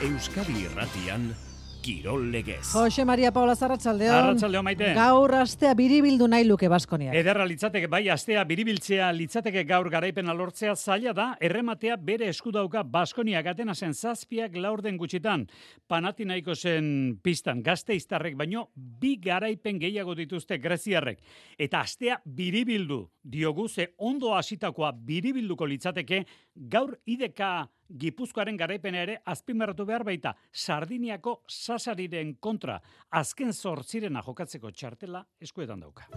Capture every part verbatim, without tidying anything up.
Euskadi Irratian, Kirol Legez. Jose Maria Paula Arratsaldeon. Arratsaldeon, Maite. Gaur astea biribildu nahi luke Baskoniak. Ederra litzateke, bai, astea biribiltzea litzateke gaur garaipena lortzea zaila da, errematea bere esku dauka Baskoniak Atenasen zazpiak laurden gutxitan. Panathinaikosen pistan Gasteiztarrek baino bi garaipen gehiago dituzte greziarrek. Eta astea biribildu diogu, ze ondo hasitakoa biribilduko litzateke gaur ideka Gipuzkoaren garaipena ere azpimarratu behar baita, Sardiniako Sasariren kontra azken zortzirena jokatzeko txartela eskuetan dauka.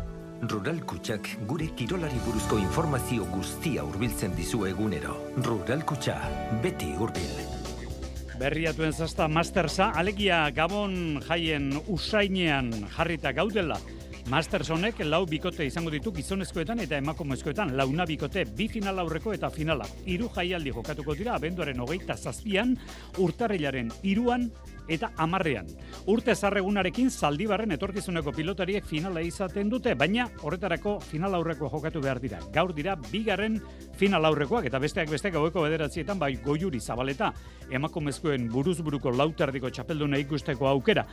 Rural Kutxak gure kirolari buruzko informazio guztia hurbiltzen dizu egunero. Rural Kutxa, beti hurbil. Berriatuen zazta Mastersa, alegia Gabon jaien usainean jarrita gaudela. Masters honek lau bikote izango ditu gizonezkoetan eta emakumezkoetan, launa bikote, bi final aurreko eta finala. Hiru jaialdi jokatuko dira abenduaren hogeita zazpian, urtarrilaren hiruan eta hamarrean. Urte zarregunarekin Zaldibarren etorkizuneko pilotariek finala izaten dute, baina horretarako final aurrekoa jokatu behar dira. Gaur dira bigarren final aurrekoak eta besteak besteak gaueko bederatzietan bai Goiuri Zabaleta, emakumezkoen buruz buruko lauterdiko txapelduna ikusteko aukera.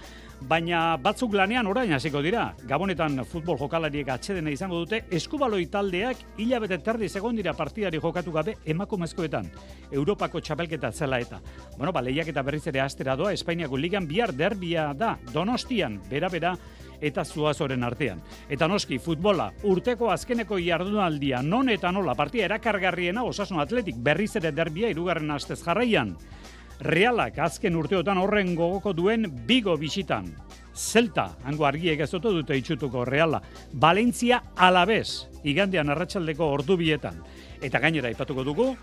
Baina batzuk lanean orain hasiko dira. Gabonetan futbol jokalariek atsedena izango dute, eskubaloi taldeak hilabete terdi egon dira partidari jokatu gabe emakumezkoetan. Europako txapelketa zela eta. Bueno, ba, lehiaketa berriz ere astera doa, Espainiako ligan bihar derbia da, Donostian, bera-bera, eta Zuazoren artean. Eta noski, futbola, urteko azkeneko jardunaldia, non eta nola, partida erakargarriena Osasun Atletik berriz ere derbia hirugarren astez jarraian. Realak azken urteotan horren gogoko duen Bigo bisitan. Zelta, hango argiek ez oto dute itxutuko Reala. Valentzia Alavés, igandean arratsaldeko ordu bietan. Eta gainera aipatuko dugu,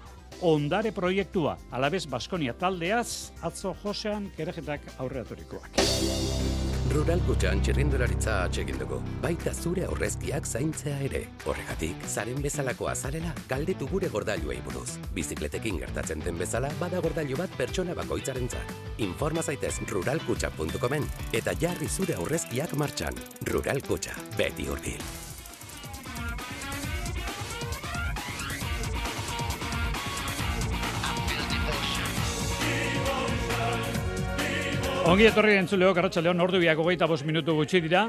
Ondare proiektua, Alavés Baskonia taldeaz, atzo Josean Kerejetak aurreaturikoak. Rural Kutxan txirrindularitza atsegin dugu, baita zure aurrezkiak zaintzea ere. Horregatik, zaren bezalako azarela, galdetu gure gordailuei buruz. Bizikletekin gertatzen den bezala, bada gordailu bat pertsona bakoitzarentzat. Informa zaitez rural kutxa puntu comen eta jarri zure aurrezkiak martxan. Rural Kutxa, beti hurbil. Ongi etorri entzuleok, arratsaldeon, ordu biak hogeita bost minutu gutxi dira.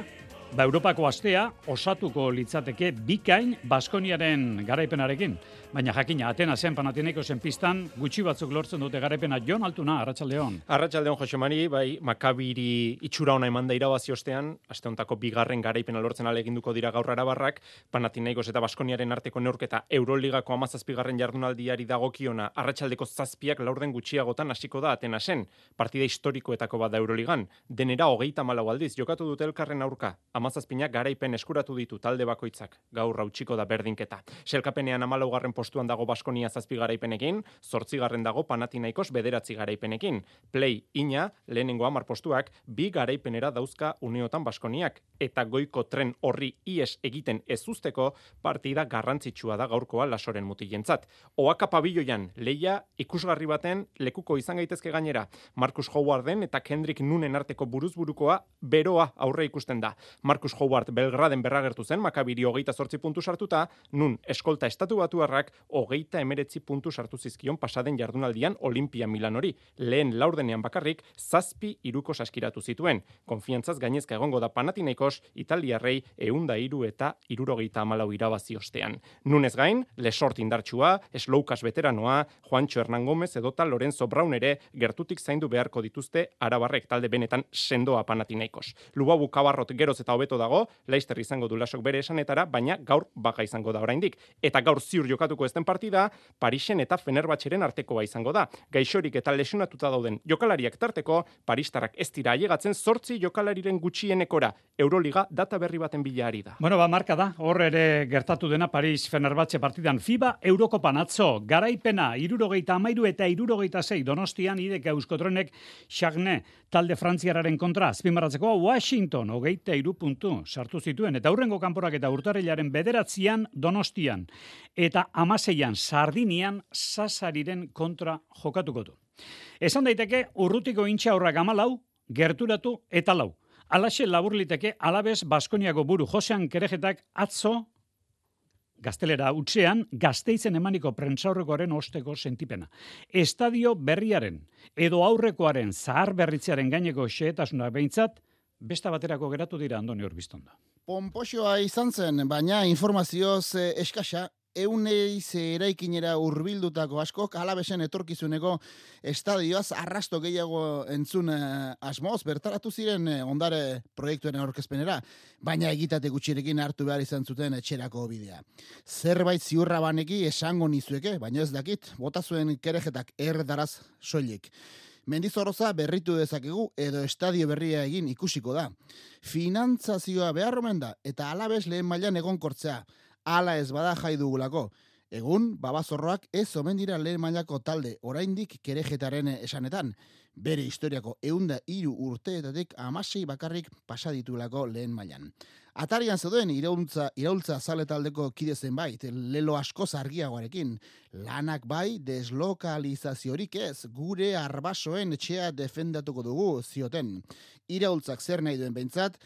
Ba, Europako astea osatuko litzateke bikain Baskoniaren garaipenarekin. Baina jakina, Atenasen Panathinaikosen pistan gutxi batzuk lortzen dute garaipena. Jon Altuna, arratsaldeon. Arratsaldeon, Jose Mari, bai, Makabiri itxura ona emanda irabazi ostean, aste hontako bigarren garaipena lortzen aleginduko dira gaur Arabarrak, Panathinaikos eta Baskoniaren arteko neurketa Euroligako hamazazpigarren jardunaldiari dagokiona, arratsaldeko zazpiak laurden gutxiagotan hasiko da Atenasen. Partida historikoetako bat da Euroligan. Denera hogeita hamalau aldiz jokatu dute elkarren aurka. Hamazazpinak garaipen eskuratu ditu talde bakoitzak. Gaur hautsiko da berdinketa. Selkapenean hamalaugarren postuan dago Baskonia zazpi garaipenekin, zortzigarren dago Panathinaikos bederatzi garaipenekin. Play ina, lehenengo hamar postuak, bi garaipenera dauzka uneotan Baskoniak. Eta goiko tren horri ies egiten ez usteko partida garrantzitsua da gaurkoa Lasoren mutilentzat. Oaka pabiloian, leia ikusgarri baten lekuko izan gaitezke gainera. Marcus Howarden eta Kendrick Nunen arteko buruzburukoa beroa aurre ikusten da. Marcus Howard Belgraden berragertu zen, Makabiri hogeita zortzi puntu sartuta, nun eskolta estatu batuarrak hogeita emeretzi puntu sartu zizkion pasaden jardunaldian Olimpia Milanori. Lehen laurdenean bakarrik, zazpi iruko saskiratu zituen. Konfiantzaz gainezka egongo da Panathinaikos, Italiarrei eunda iru eta irurogeita amalau irabazi ostean. Nunez gain, Lesort indartsua, Slowkas veteranoa, Juancho Hernán Gómez edota Lorenzo Brown ere gertutik zaindu beharko dituzte Arabarrek talde benetan sendoa Panathinaikos. Lubabu Kabarrot geroz eta hobeto dago, Leicester izango du Lasok bere esanetara, baina gaur baga izango da oraindik. Eta gaur ziur jokatuko ezten partida, Parisen eta Fenerbahçeren artekoa izango da. Gaixorik eta lesionatuta dauden jokalariak tarteko, paristarrak ez dira ailegatzen zortzi jokalariren gutxienekora. Euroliga data berri baten bila ari da. Bueno, ba, marka da, hor ere gertatu dena Paris Fenerbahçe partidan. FIBA Eurokopan atzo, garaipena, irurogeita amairu eta irurogeita sei, Donostian ideka Euskotrenek Chagne talde frantziararen kontra, azpimarratzeko Washington, hogeita hiru puntu sartu zituen, eta hurrengo kanporak eta urtarrilaren bederatzian Donostian, eta hamaseian Sardinian Sasariren kontra jokatuko du. Esan daiteke, urrutiko intxaurrak amalau, gerturatu eta lau. Alaxe labur liteke Alavés Baskoniako buru Josean Kerejetak atzo gaztelera utzean, Gasteizen emaniko prentsaurrekoaren osteko sentipena. Estadio berriaren edo aurrekoaren zahar berritzearen gaineko xehetasuna behintzat, besta baterako geratu dira Andoni Urbiztondo. Ponpoxoa izan zen, baina informazioz eh, eskasa, euneiz eraikinera urbildutako askok Alavesen etorkizuneko estadioaz arrasto gehiago entzun eh, asmoz, bertaratu ziren eh, ondare proiektuaren aurkezpenera, baina egitate gutxirekin hartu behar izan zuten etxerako bidea. Zerbait ziurra baneki esango nizueke, baina ez dakit, bota zuen kerejetak erdaraz soilik. Mendizorroza berritu dezakegu edo estadio berria egin ikusiko da. Finantzazioa behar omen da eta Alaves lehen mailan egonkortzea. Hala ez bada jai dugulako. Egun, babazorroak ez omen dira lehen mailako talde, oraindik kerejetaren esanetan. Bere historiako eunda hiru urteetatik amasei bakarrik pasaditulako lehen mailan. Atarian zeuden iraultza, iraultza zale taldeko kide zenbait, lelo asko argiagoarekin. Lanak bai, deslokalizaziorik ez, gure arbasoen etxea defendatuko dugu zioten. Iraultzak zer nahi duen behintzat,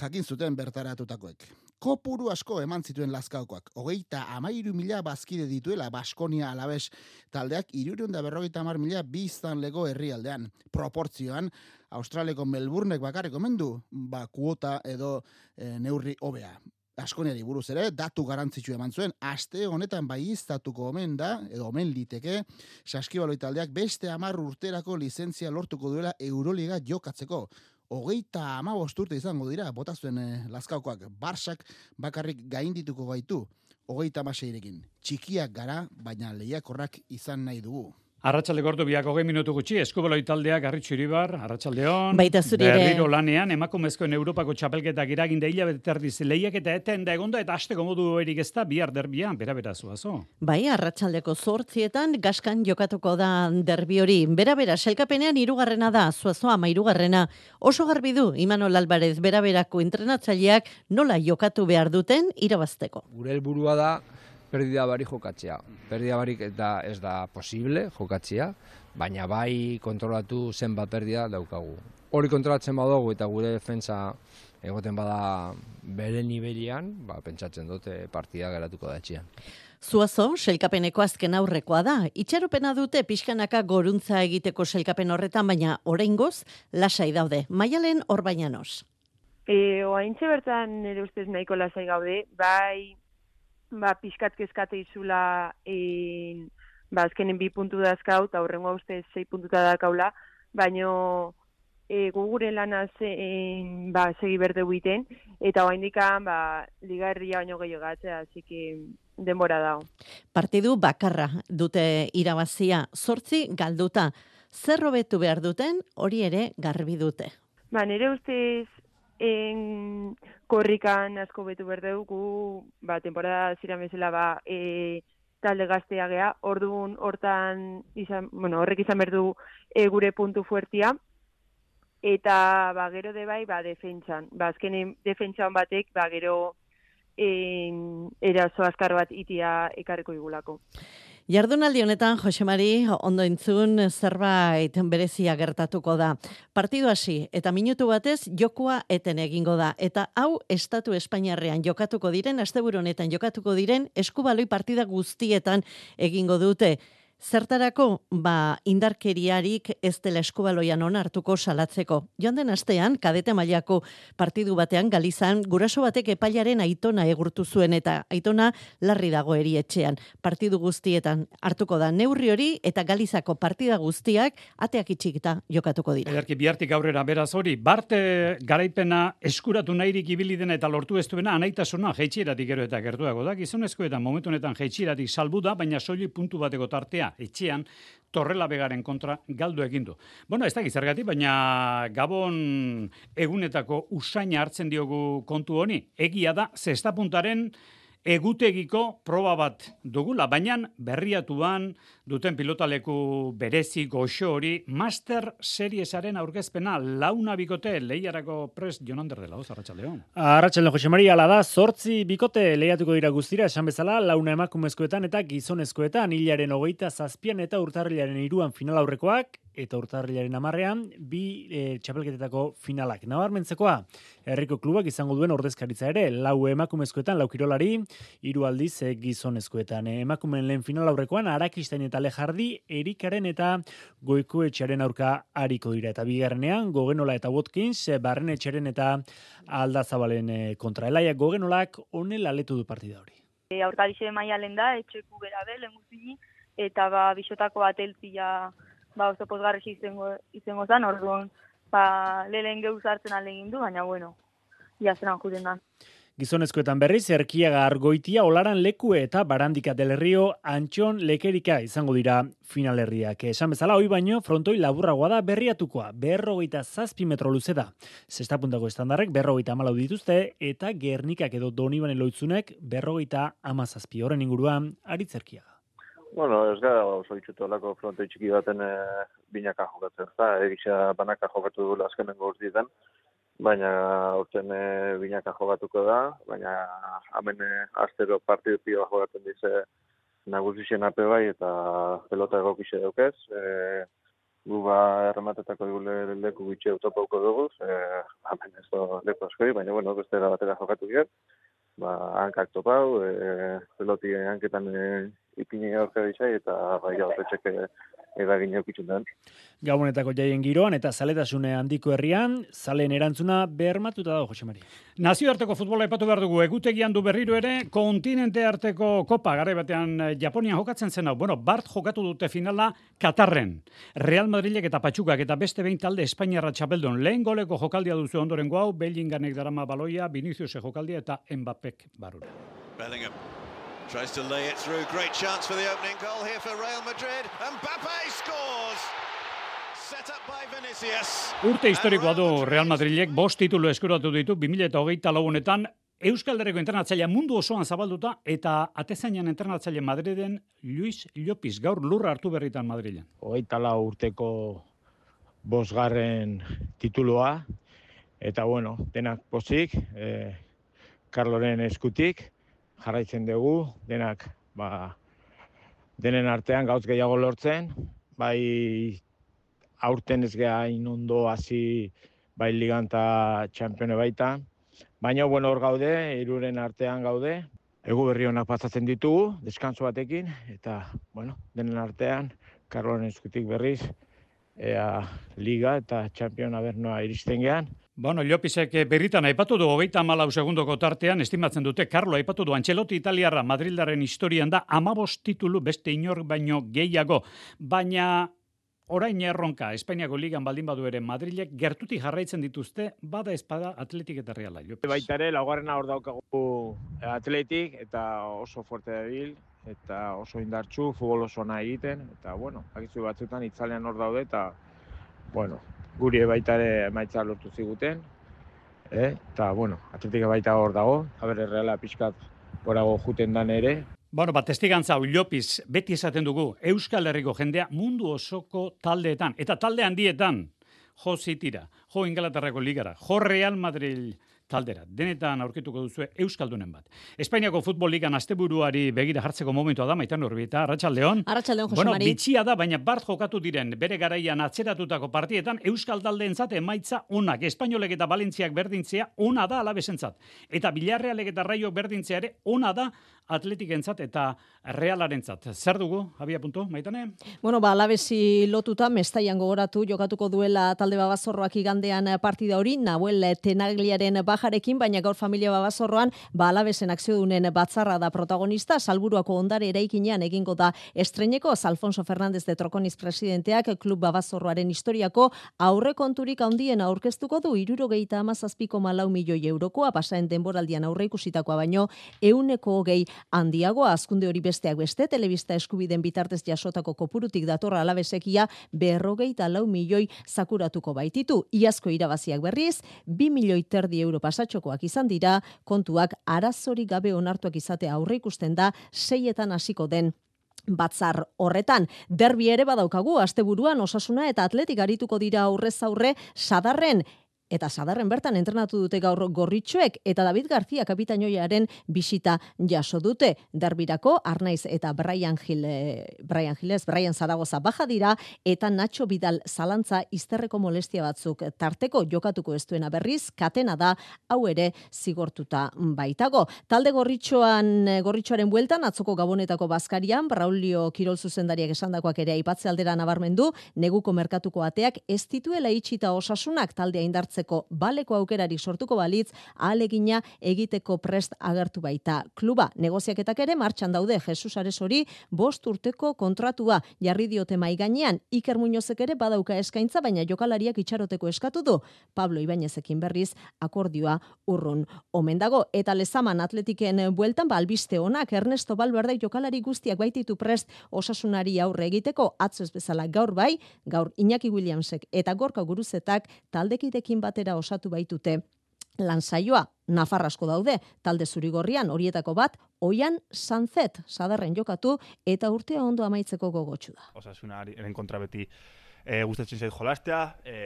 jakin zuten bertaratutakoek. Kopuru asko eman zituen Lazkaokoak. Hogeita amairu mila bazkide dituela Baskonia Alaves taldeak hirurehun eta berrogeita hamar mila biztanleko herrialdean. Proportzioan, Australiako Melbournek bakarrik omen du, ba kuota edo e, neurri hobea. Baskoniari buruz ere, datu garantzitsu eman zuen, aste honetan baiiztatuko omen da, edo omen liteke, Saskibaloi taldeak beste hamar urterako lizentzia lortuko duela Euroliga jokatzeko. Hogeita hamabost urte izango dira, bota zuen eh, Lazkaokoak, Barsak bakarrik gaindituko gaitu, hogeita hamaseirekin. Txikiak gara, baina lehiakorrak izan nahi dugu. Arratsalde gordu biak hogei minutu gutxi, Eskubaloi taldeak Arritxu Iribar, arratsaldeon. Baita zuri ere. Berriro lanean, emakumezkoen Europako txapelketak iraginde hilabete terdiz lehiak eta eten da egonda eta asteko modu erik ez da bihar derbian, bera-bera zuazo. Bai, arratsaldeko zortzietan gaskan jokatuko da derbi hori. Bera-bera, selkapenean hirugarrena da, zuazo ama hirugarrena. Oso garbi du, Imanol Alvarez, bera-berako entrenatzaileak nola jokatu behar duten irabazteko. Gure helburua da perdida barik jokatzea. Perdida barik eta ez da posible jokatzea, baina bai kontrolatu zenbat perdida daukagu. Hori kontrolatzen badugu eta gure defentsa egoten bada bere nivelian, ba, pentsatzen dute partida geratuko da etxean. Zuazo, selkapeneko azken aurrekoa da. Itxaropena dute pixkanaka goruntza egiteko selkapen horretan, baina oraingoz lasai daude. Maialen Orbañanos. E, oaintxe bertan nire ustez nahiko lasai gaude, bai ba, pixkat kezkate izula en, ba, azkenen bi puntu dazkau, eta horrengo ustez sei puntuta dakaula, baino e, gugure lana en, ba, segi berde buiten, eta oaindikan ba, liga herria baino gehiago gatzea, hasi que denbora dago. Partidu bakarra dute irabazia, zortzi galduta. Zer hobetu behar duten, hori ere garbi dute. Ba, nire ustez en korrikan asko betu berdugu, ba, temporada ziren bezala ba, e, talde gaztea gea, orduan hortan izan, bueno, horrek izan berdu e, gure puntu fuertia, eta ba, gero de bai, ba, defentsan, ba, azkenen defentsan batek, ba, gero en, eraso azkar bat itia ekarriko igulako. Jardunaldi honetan, Jose Mari, ondo entzun zerbait berezia gertatuko da. Partidu hasi eta minutu batez jokua eten egingo da. Eta hau Estatu Espainiarrean jokatuko diren, asteburu honetan jokatuko diren, Eskubaloi partida guztietan egingo dute. Zertarako, ba, indarkeriarik ez dela Eskubaloian onartuko salatzeko. Joan den astean, kadete mailako partidu batean Galizan, guraso batek epailaren Aitona egurtu zuen eta Aitona larri dago erietxean. Partidu guztietan hartuko da neurri hori eta Galizako partida guztiak ateak itxikita jokatuko dira. Ederki bihartik aurrera beraz hori, barte garaipena eskuratu nahirik ibili dena eta lortu ez duena anaitasuna jeitsieratik gero eta gertuago da. Gizonezkoetan momentu honetan jeitsieratik salbu da, baina soilik puntu bateko tartea etxean Torrela Begaren kontra galdu egin du. Bueno, ez da gizargatik, baina Gabon egunetako usaina hartzen diogu kontu honi. Egia da, zestapuntaren egutegiko proba bat dugula, baina berriatuan duten pilotaleku berezi goxo hori Master Seriesaren aurkezpena launa bikote lehiarako prest Jonander dela, oz, arratsaldeon. Arratsaldeon, Jose Maria, ala da, zortzi bikote lehiatuko dira guztira, esan bezala, launa emakumezkoetan eta gizonezkoetan, hilaren hogeita zazpian eta urtarrilaren hiruan final aurrekoak, eta urtarrilaren hamarrean, bi e, txapelketetako finalak. Nabarmentzekoa, herriko klubak izango duen ordezkaritza ere, lau emakumezkoetan, lau kirolari, hiru aldiz e, gizonezkoetan. E, emakumeen lehen final aurrekoan, Arakistain eta Lejardi, Erikaren eta Goikoetxearen aurka ariko dira. Eta bigarrenean, Gogenola eta Watkins, Barrenetxeren eta Aldazabalen e, kontra. Elaia Gogenolak onela letu du partida hori. E, aurkarixe maialen da, etxeku bera be, lenguzini, eta ba, bisotako bat eltzia ba, oso pozgarresi izango, izango zan, orduan, ba, lehen geuz hartzen alegin du, baina bueno, jazenan juten da. Gizonezkoetan berriz, Erkiaga Argoitia, Olaran Lekue eta Barandika del Rio, Antxon Lekerika izango dira finalerriak. Esan bezala, hoi baino, frontoi laburragoa da berriatukoa, berrogeita zazpi metro luze da. Zesta puntako estandarrek berrogeita amalau dituzte, eta Gernikak edo Donibane Loitzunek berrogeita amazazpi. Horren inguruan, Aritz Erkiaga. Bueno, ez gara oso itxutu olako frontoi txiki baten e, binaka jokatzen, ez da, egisa banaka jokatu duela azkenengo urtietan, baina urten e, binaka jokatuko da, baina hemen e, astero partidu pioa jokatzen dize nagusixen ape bai eta pelota egokixe daukez. E, gu ba errematetako digule leku bitxe utopauko dugu, e, hemen ez da leku askori, baina bueno, beste era batera jokatu giren. Ba, hankak topau, e, peloti hanketan e, ipini aurka dizai eta bai horretxeke eragin eukitzen den. Gabonetako jaien giroan eta zaletasune handiko herrian, zaleen erantzuna bermatuta dago, Jose Mari. Nazioarteko futbola aipatu behar dugu, egutegian du berriro ere, kontinente arteko kopa, garai batean Japonian jokatzen zen hau. Bueno, Bart jokatu dute finala Katarren. Real Madrilek eta Patxukak eta beste behin talde Espainiarra txapeldon. Lehen goleko jokaldia duzu ondorengo hau, Bellinganek darama baloia, Vinicius jokaldia eta Mbappek barura. Bellingham tries to lay it through. Great chance for the opening goal here for Real Madrid. Mbappé scores. Set up by Vinicius. Urte historikoa du Real Madrilek, bost titulu eskuratu ditu bi mila hogeita lau honetan, Euskal Herriko entrenatzailea mundu osoan zabalduta eta atezainan entrenatzaile Madriden Luis Llopis, gaur lurra hartu berritan Madrilen. Hogeita lau urteko bosgarren titulua, eta bueno, denak pozik, eh, Carloren eskutik, jarraitzen dugu, denak ba, denen artean gauz gehiago lortzen, bai aurten ez geha inondo hasi bai ligan eta txampione baita, baina bueno hor gaude, hiruren artean gaude, egu berri honak pasatzen ditugu, deskanso batekin, eta bueno, denen artean, Karloren eskutik berriz, ea liga eta txampiona bernoa iristen gehan. Bueno, Llopisek berritan aipatu du hogeita hamalau segundoko tartean, estimatzen dute, Carlo aipatu du, Ancelotti italiarra Madrildaren historian da hamabost titulu beste inor baino gehiago, baina orain erronka, Espainiako ligan baldin badu ere Madrilek gertutik jarraitzen dituzte, bada espada Atletik eta Reala. Llopis. Baita ere, laugarrena hor daukagu Atletik eta oso fuerte dabil, eta oso indartsu, futbol oso nahi egiten, eta bueno, akizu batzutan itzalean hor daude, eta bueno, guri baita ere emaitza lortu ziguten, eh? Eta, bueno, Atletika baita hor dago, haber Reala pixkat gorago juten dan ere. Bueno, bat testigantza hau Llopis, beti esaten dugu, Euskal Herriko jendea mundu osoko taldeetan, eta talde handietan, jo Citira, jo Ingalaterrako ligara, jo Real Madrid taldera, denetan aurkituko duzue Euskaldunen bat. Espainiako futbol ligan asteburuari begira jartzeko momentua da, Maitan Urbieta, Arratsaldeon. Arratsaldeon, Jose Bueno, Mari. bitxia da, baina Bart jokatu diren bere garaian atzeratutako partietan Euskal taldeentzat emaitza onak. Espainolek eta Valentziak berdintzea ona da Alabesentzat. Eta Villarrealek eta Raio berdintzea ere ona da Atletikentzat eta Realarentzat. Zer dugu, abia puntu, Maitane? Bueno, ba, Alabesi lotuta, Mestaian gogoratu, jokatuko duela talde Babazorroak igandean partida hori, Nahuel Tenagliaren bajarekin, baina gaur familia Babazorroan, ba, Alabesen akziodunen batzarra da protagonista, Salburuako ondare eraikinean egingo da estreneko, Alfonso Fernández de Trokoniz presidenteak Klub Babazorroaren historiako aurrekonturik handien aurkeztuko du, hirurogeita hamazazpi koma lau milioi eurokoa, pasaen denboraldian aurreikusitakoa baino, ehuneko hogei handiagoa, azkunde hori besteak beste, telebista eskubiden bitartez jasotako kopurutik datorra Alabesekia berrogeita lau milioi zakuratuko baititu. Iazko irabaziak berriz, bi milioi terdi euro pasatxokoak izan dira, kontuak arazorik gabe onartuak izatea aurre ikusten da, seietan hasiko den batzar horretan. Derbi ere badaukagu, asteburuan Osasuna eta Atletik arituko dira aurrez aurre Sadarren, eta Sadarren bertan entrenatu dute gaur gorritxoek, eta David García kapitainoiaren bisita jaso dute. Derbirako Arnaiz eta Brian Gil, Brian Giles, Brian Zaragoza baja dira, eta Nacho Vidal zalantza izterreko molestia batzuk tarteko jokatuko ez duena berriz, katena da, hau ere zigortuta baitago. Talde gorritxoan, gorritxoaren bueltan, atzoko Gabonetako bazkarian, Braulio Kirol zuzendariak esandakoak ere aipatze aldera nabarmendu, neguko merkatuko ateak ez dituela itxita Osasunak taldea indartzeko baleko aukerari sortuko balitz, ahalegina egiteko prest agertu baita kluba. Negoziaketak ere martxan daude. Jesus Aresori bost urteko kontratua jarri diote mai gainean. Iker Muñozek ere badauka eskaintza, baina jokalariak itxaroteko eskatu du. Pablo Ibainezekin berriz akordioa urrun omen dago. Eta Lezaman Atletiken bueltan ba albiste onak, Ernesto Valverde jokalari guztiak baititu prest Osasunari aurre egiteko, atzo ez bezala gaur bai, gaur Iñaki Williamsek eta Gorka Guruzetak taldekidekin batera osatu baitute lansaioa. Nafar asko daude, talde zurigorrian horietako bat, Oian Sanzet, Sadarren jokatu eta urtea ondo amaitzeko gogotsu da. Osasunaren kontra beti e, gustatzen zait jolastea, e,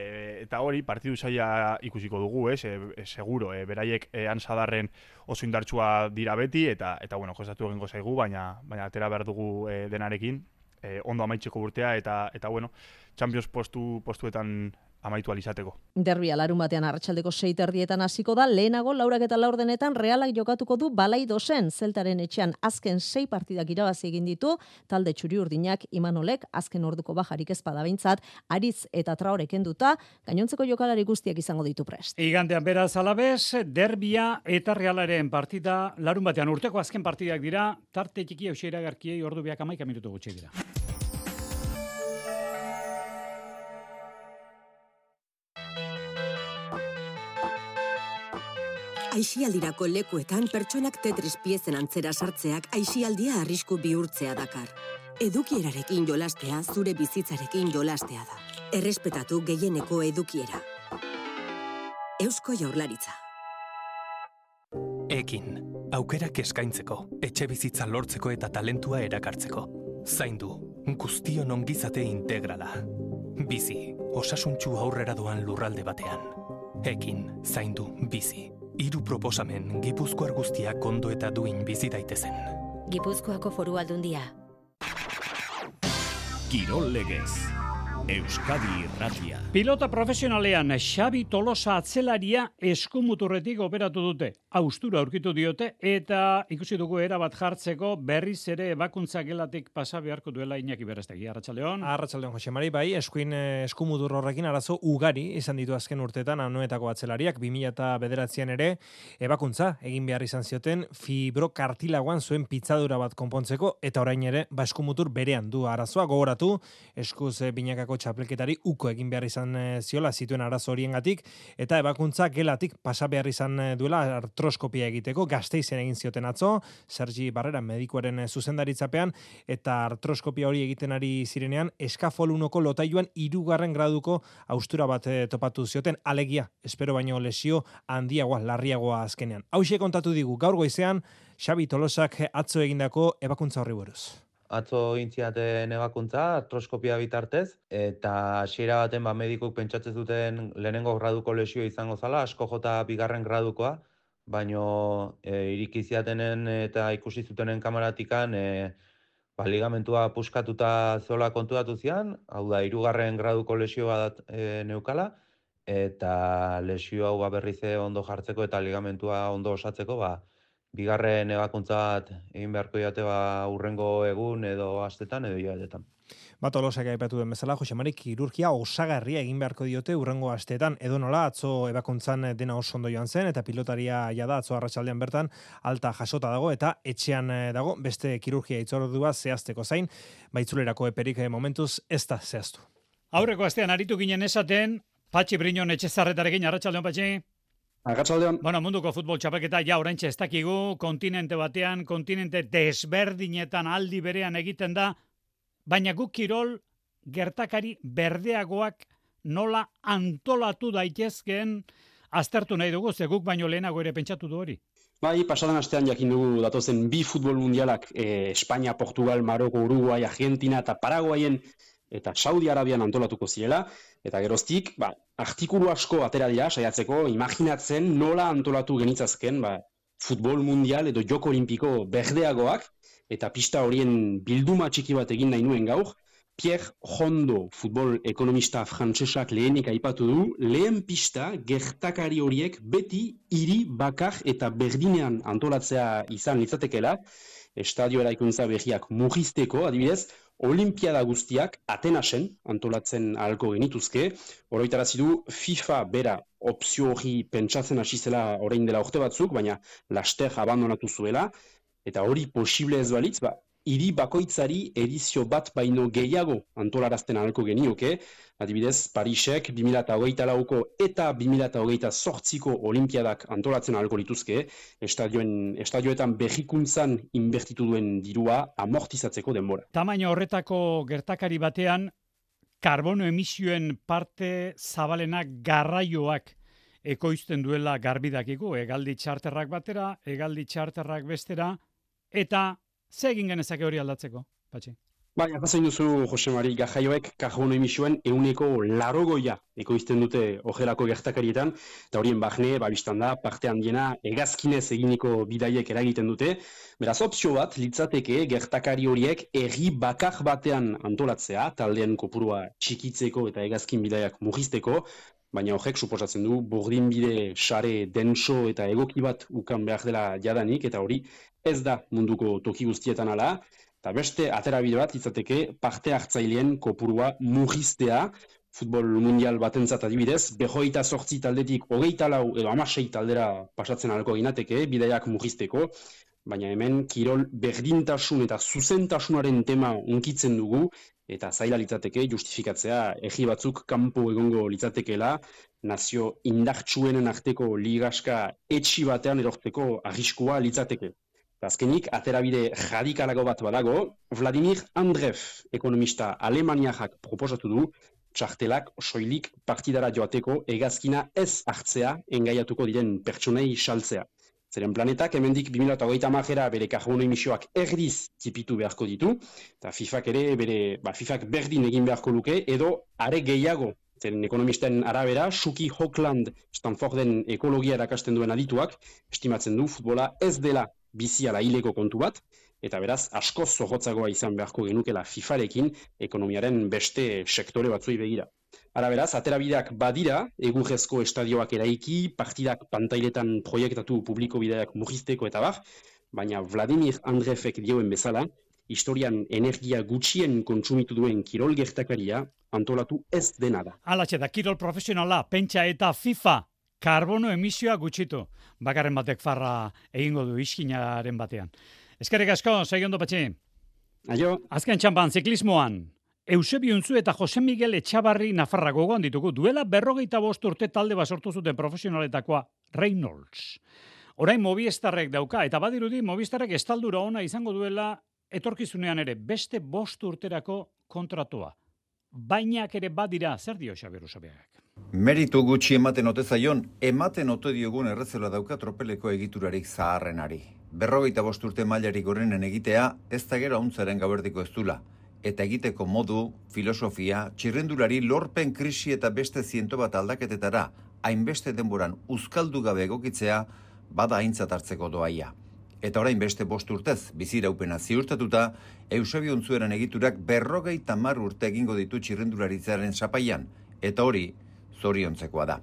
eta hori partidu zaila ikusiko dugu, ez, e, seguro, e, beraiek e, han Sadarren oso indartsua dira beti, eta, eta bueno, kostatu egingo zaigu, baina, baina atera behar dugu e, denarekin, e, ondo amaitzeko urtea, eta, eta bueno, Champions postu, postuetan amaitu alizateko. Derbia larun batean arratsaldeko sei terdietan hasiko da, lehenago laurak eta laurdenetan Realak jokatuko du Balaidosen, Zeltaren etxean azken sei partidak irabazi egin ditu, talde txuri-urdinak Imanolek azken orduko bajarik ez badabehintzat, Aritz eta Traore kenduta, gainontzeko jokalari guztiak izango ditu prest. Igandean beraz alabez, Derbia eta Realaren partida larun batean urteko azken partidak dira, tarte txiki hausia iragarkiei ordu biak hamaika minutu gutxi dira. Aisialdirako lekuetan pertsonak Tetris piezen antzera sartzeak aisialdia arrisku bihurtzea dakar. Edukierarekin jolastea zure bizitzarekin jolastea da. Errespetatu gehieneko edukiera. Eusko Jaurlaritza. Ekin, aukerak eskaintzeko, etxe bizitza lortzeko eta talentua erakartzeko. Zaindu, guztion ongizate integrala. Bizi, osasuntsu aurrera doan lurralde batean. Ekin, zaindu, bizi. Hiru proposamen Gipuzkoar guztiak ondo eta duin bizi daitezen. Gipuzkoako Foru Aldundia. Kirol Legez. Euskadi Irratia. Pilota profesionalean Xabi Tolosa atzelaria eskumuturretik operatu dute. Austura aurkitu diote eta ikusi dugu erabat jartzeko berriz ere ebakuntza gelatik pasa beharko duela Iñaki Berestegi. Arratsaldeon. Arratsaldeon Jose Mari, bai, eskuin eskumutur horrekin arazo ugari izan ditu azken urteetan anoetako atzelariak. bi mila bederatzian ere ebakuntza egin behar izan zioten fibrokartilagoan zuen pitzadura bat konpontzeko eta orain ere ba eskumutur berean du arazoa. Gogoratu eskuz binakako txapelketari uko egin behar izan ziola zituen arazo horiengatik eta ebakuntza gelatik pasa behar izan duela artroskopia egiteko. Gasteizen egin zioten atzo, Sergi Barrera medikuaren zuzendaritzapean, eta artroskopia hori egiten ari zirenean eskafolunoko lotailuan hirugarren graduko haustura bat topatu zioten, alegia, espero baino lesio handiagoa, larriagoa azkenean. Hauxe kontatu digu gaur goizean Xabi Tolosak atzo egindako ebakuntza horri buruz. Atzo intziaten ebakuntza, artroskopia bitartez, eta hasiera baten ba, medikuk pentsatzen zuten lehenengo graduko lesio izango zala, asko jota bigarren gradukoa, baino e, irikiziatenen eta ikusi zutenen kameratikan e, ba, ligamentua puskatuta zola kontuatu zian, hau da, hirugarren graduko lesio bat e, neukala, eta lesio hau ba, berriz ondo jartzeko eta ligamentua ondo osatzeko, ba, bigarren ebakuntza bat egin beharko diate ba urrengo egun edo astetan edo hilabetetan. Bat Tolosak aipatu den bezala, Jose Mari, kirurgia osagarria egin beharko diote urrengo asteetan, edo nola atzo ebakuntzan dena oso ondo joan zen, eta pilotaria jada atzo arratsaldean bertan alta jasota dago, eta etxean dago beste kirurgia hitzordua zehazteko zain, baitzulerako eperik momentuz ez da zehaztu. Aurreko astean aritu ginen esaten, Patxi Briñon Etxezarretarekin, arratsaldeon Patxi. Arratsaldeon. Bueno, munduko futbol txapelketa ja oraintxe ez dakigu, kontinente batean, kontinente desberdinetan aldi berean egiten da, baina guk kirol gertakari berdeagoak nola antolatu daitezkeen aztertu nahi dugu, ze guk baino lehenago ere pentsatu du hori. Bai, pasadan astean jakin dugu datozen bi futbol mundialak, eh, Espainia, Portugal, Maroko, Uruguai, Argentina eta Paraguayen eta Saudi Arabian antolatuko zirela, eta geroztik, ba, artikulu asko atera dira, saiatzeko, imaginatzen nola antolatu genitzazken, ba, futbol mundial edo joko olimpiko berdeagoak, eta pista horien bilduma txiki bat egin nahi nuen gaur, Pierre Hondo, futbol ekonomista frantsesak lehenik aipatu du, lehen pista gertakari horiek beti hiri bakar eta berdinean antolatzea izan litzatekela, estadio eraikuntza berriak mugisteko, adibidez, Olimpiada guztiak Atenasen antolatzen ahalko genituzke, oroitarazi du FIFA bera opzio hori pentsatzen hasi zela orain dela urte batzuk, baina laster abandonatu zuela, eta hori posible ez balitz, ba, hiri bakoitzari edizio bat baino gehiago antolarazten ahalko genioke, adibidez, Parisek bi mila hogeita lauko eta bi mila hogeita zortziko olimpiadak antolatzen ahalko lituzke, estadioen, estadioetan berrikuntzan inbertitu duen dirua amortizatzeko denbora. Tamaina horretako gertakari batean, karbono emisioen parte zabalenak garraioak ekoizten duela garbidakiko, hegaldi txarterrak batera, hegaldi txarterrak bestera, eta ze egin genezake hori aldatzeko, Patxi? Bai, apazain duzu, Jose Mari, garraioek karbono emisioen euneko larogoia ekoizten dute ojelako gertakarietan, eta horien bahne, ba, biztan da, parte handiena hegazkinez eginiko bidaiek eragiten dute. Beraz, opzio bat, litzateke gertakari horiek herri bakar batean antolatzea, taldean kopurua txikitzeko eta hegazkin bidaiak mugisteko, baina horrek suposatzen du burdinbide sare denso eta egoki bat ukan behar dela jadanik, eta hori ez da munduko toki guztietan ala, eta beste aterabide bat izateke parte hartzaileen kopurua mugiztea, futbol mundial batentzat adibidez, behoita zortzi taldetik hogeita lau edo hamasei taldera pasatzen alko ginateke, bidaiak mugizteko, baina hemen kirol berdintasun eta zuzentasunaren tema unkitzen dugu, eta zaila litzateke justifikatzea egi batzuk kanpo egongo litzatekeela, nazio indartsuenen arteko ligaska etxi batean erortzeko arriskua litzateke. Azkenik, aterabide radikalago bat badago, Vladimir Andreev, ekonomista alemaniak proposatu du, txartelak soilik partidara joateko hegazkina ez hartzea engaiatuko diren pertsonei saltzea. Zeren planetak hemendik bi mila hogeita hamarera bere karbono emisioak erdiz tipitu beharko ditu, eta FIFAk ere bere, ba, FIFAk berdin egin beharko luke, edo are gehiago, zeren ekonomisten arabera, Shuki Hockland, Stanforden ekologia erakasten duen adituak, estimatzen du futbola ez dela bizi ala hileko kontu bat, eta beraz askoz zorrotzagoa izan beharko genukela FIFArekin ekonomiaren beste sektore batzui begira. Ara beraz, aterabideak badira, egurrezko estadioak eraiki, partidak pantailetan proiektatu publiko bideak mugizteko eta bar, baina Vladimir Andreevek dioen bezala, historian energia gutxien kontsumitu duen kirol gertakaria antolatu ez dena da. Alatxe da, kirol profesionala, pentsa eta FIFA, karbono emisioa gutxitu. Bakarren batek farra egingo du iskinaren batean. Eskerrik asko, segi ondo Patxi. Aio. Azken txampan, ziklismoan. Eusebio Untzu eta Jose Miguel Etxabarri Nafarra gogoan ditugu. Duela berrogeita bost urte talde bat sortu zuten profesionaletakoa Reynolds. Orain Movistarrek dauka, eta badirudi Movistarrek estaldura ona izango duela etorkizunean ere beste bost urterako kontratua. Bainak ere badira, zer dio Xabier Usabiagak? Meritu gutxi ematen ote zaion, ematen ote diogun errezela dauka tropeleko egiturarik zaharrenari. Berrogeita bost urte mailarik gorenen egitea, ez da gero hauntzaren gaberdiko ez dula. Eta egiteko modu, filosofia, txirrendulari lorpen krisi eta beste ziento bat aldaketetara, hainbeste denboran uzkaldu gabe egokitzea, bada aintzat hartzeko doaia. Eta orain beste bost urtez, biziraupena ziurtatuta, Eusebio Untzueren egiturak berrogeita hamar urte egingo ditu txirrendularitzaren zapaian, eta hori, zoriontzekoa da.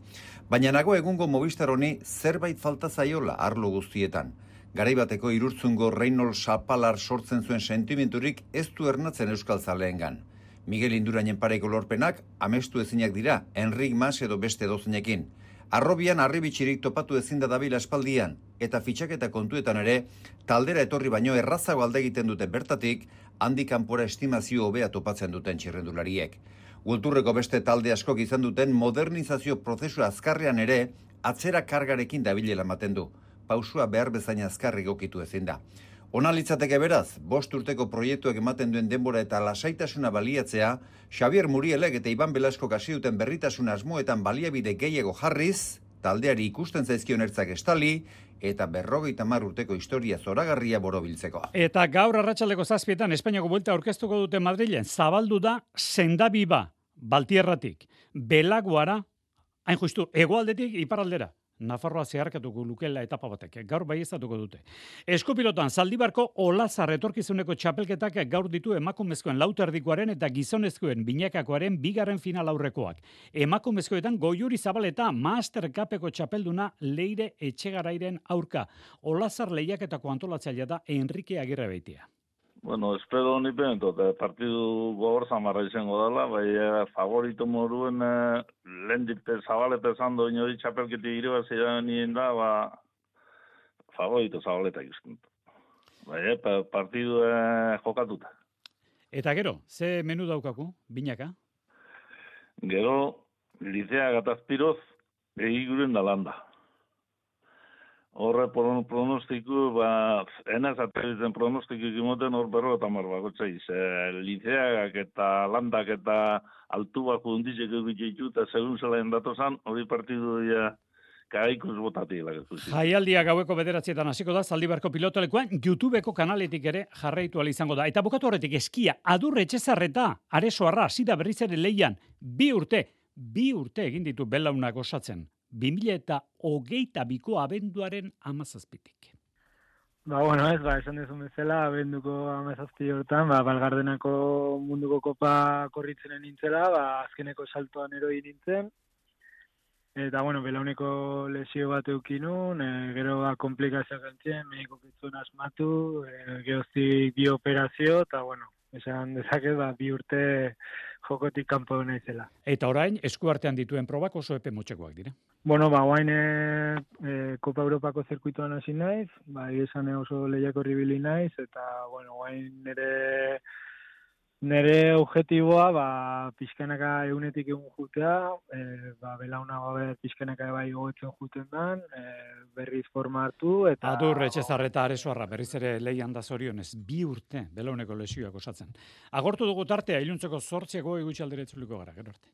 Baina nago egungo Movistar honi zerbait falta zaiola arlo guztietan. Garaibateko irurtzungo Reynolds Sapalar sortzen zuen sentimenturik ez du ernatzen euskal zaleengan. Miguel Indurainen pareko lorpenak amestu ezinak dira, Enric Mas edo beste dozinekin. Arrobian arribitxirik topatu ezin da dabil aspaldian, eta fitxaketa kontuetan ere, taldera etorri baino errazago alde egiten dute bertatik, handik kanpora estimazio hobea topatzen duten txirrendulariek. Kulturreko beste talde askok izan duten modernizazio prozesu azkarrean ere, atzera kargarekin dabilela ematen du. Pausua behar bezain azkarri gokitu ezin da. Ona litzateke beraz, bost urteko proiektuak ematen duen denbora eta lasaitasuna baliatzea, Xavier Murielek eta Iban Belasko hasi duten berritasun asmoetan baliabide gehiago jarriz, taldeari ikusten zaizkion ertzak estali, eta berrogeita hamar urteko historia zoragarria borobiltzeko. Eta gaur arratsaldeko zazpietan Espainiako buelta aurkeztuko dute Madrilen, zabaldu da sendabiba, Baltierratik, Belaguara, Hain justu, hegoaldetik iparraldera. Nafarroa zeharkatuko lukela etapa batek, gaur baieztatuko dute. Eskopilotan, Zaldibarko Olazar etorkizuneko txapelketak gaur ditu emakumezkoen lauterdikoaren eta gizonezkoen binakakoaren bigarren final aurrekoak. Emakumezkoetan Goiuri Zabaleta Master Cupeko txapelduna Leire Etxegarairen aurka. Olazar lehiaketako antolatzailea da Enrique Agirre Beitia. Bueno, espero ni pentot, partidu gogor zamarra izango dela, bai favorito moruen eh, lehendik Zabaleta esan doin hori txapelketi irabazia nien da, ba, favorito Zabaleta ikusten. Bai, eh, partidu eh, jokatuta. Eta gero, ze menu daukaku, binaka? Gero, Licea Gatazpiroz, egiguren da landa. Horre pronostiku, ba, enaz ateritzen pronostiku imoten hor berro eta marbakotza iz. Liceagak eta landak eta altubak undizek egitxeitu eta segun zelaen datozan, hori partidu ja kagaikuz botatiela. Jaialdia gaueko bederatzietan hasiko da, Zaldibarko pilotolekuan, YouTubeko kanaletik ere jarraitu ala izango da. Eta bukatu horretik eskia, Adur Etxezarreta, Aresoarra, hasi da berriz ere leian, bi urte, bi urte egin ditu belaunak osatzen. bi mila eta hogeita biko abenduaren amazazpitik. Ba, bueno, ez, ba, esan dezun bezala, abenduko amazazpi hortan, ba, Balgardenako munduko kopa korritzenen nintzela, ba, azkeneko saltoan eroi nintzen, eta, bueno, belauneko lesio bat eukinun, e, gero ba, komplikazioak gantzien, mediko kitzun asmatu, e, geroztik bi operazio, eta, bueno, esan dezaket, ba, bi urte jokotik kanpo naizela. Eta orain, eskuartean dituen probak oso epe motxekoak dira. Bueno, ba, guain e, e, Kopa Europako zirkuituan hasi naiz, ba, esan oso lehiako ribili naiz, eta, bueno, guain nire, nire objetiboa, ba, pixkanaka egunetik egun jutea, e, ba, belauna gabe pixkanaka bai gogoetzen juten dan, e, berriz forma hartu, eta... Adur Etxezarreta Aresoarra, berriz ere leian da zorionez, bi urte belauneko lesioak osatzen. Agortu dugu tartea, iluntzeko zortziako egutxaldere itzuliko gara, gero arte.